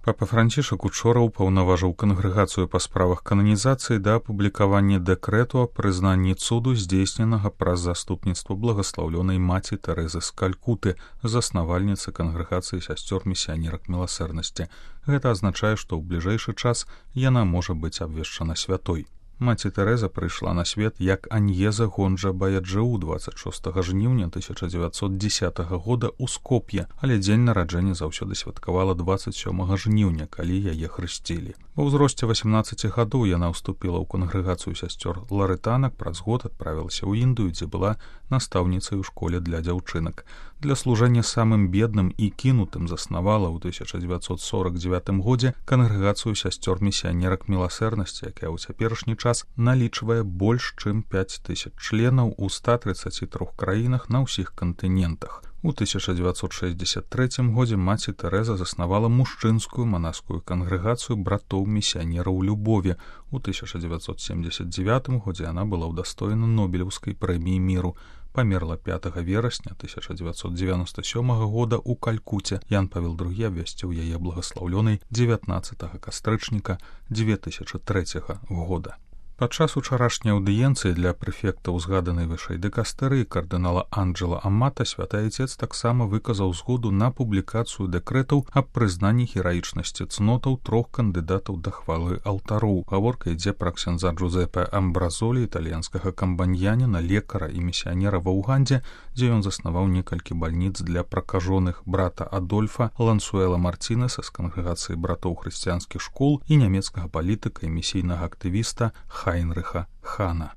Папа Францішак учора ўпаўнаважыў кангрэгацыю па справах кананізацыі да апублікавання дэкрэту о прызнанні цуду, здзейсненага праз заступніцтва благаслаўлёнай маці Тэрэзы з Калькуты, заснавальніцы кангрэгацыі сясцёр місіянерак міласэрнасці. Гэта азначае, што ў бліжэйшы час яна можа быць абвешчана святой. Маці Тэрэза прыйшла на свет як Аньеза Гонджа Баяджэу 26 жніўня 1910 года ў Скоп'е, але дзень нараджэння заўсёды святкавала 27 жніўня, калі яе хрысцілі. Ва ўзросце 18 гадоў яна ўступіла ў кангрэгацыю сясцёр ларытанак, праз год адправілася ў Індыю, дзе была настаўніцай у школе для дзяўчынак. Для служэння самым бедным і кінутым заснавала ў 1949 годзе кангрэгацыю сясцёр місіянерак міласэрнасці, якая ў цяперашні час налічвае больш чым 5000 членаў у 133 краінах на ўсіх кантынентах. У 1963 годзе маці Тэрэза заснавала мужчынскую манаскую кангрэгацыю братоў місіянераў любові. У 1979 годзе яна была ўдастоена Нобелеўскай прэміі міру. Памерла 5 верасня 1997 года ў Калькуце. Ян Павел II абвясціў яе благаслаўлёнай 19 кастрычніка 2003 года. Падчас учарашняй аўдыенцыі для прэфекта ўзгаданай вышэй дыкастэрыі кардынала Анджэла Амата святы Айцец таксама выказаў згоду на публікацыю дэкрэтаў аб прызнанні гераічнасці цнотаў 3 кандыдатаў да хвалы алтароў. Гаворка ідзе пра ксяндза Джузепе Амбразолі, італьянскага камбаньяніна, лекара і місіянера ва Ўгандзе, дзе ён заснаваў некалькі бальніц для пракажоных, брата Адольфа Лансуэла Мартінеса з кангрэгацыі братоў хрысціянскіх школ і нямецкага палітыка і місійнага актывіста Хайнрыха Хана.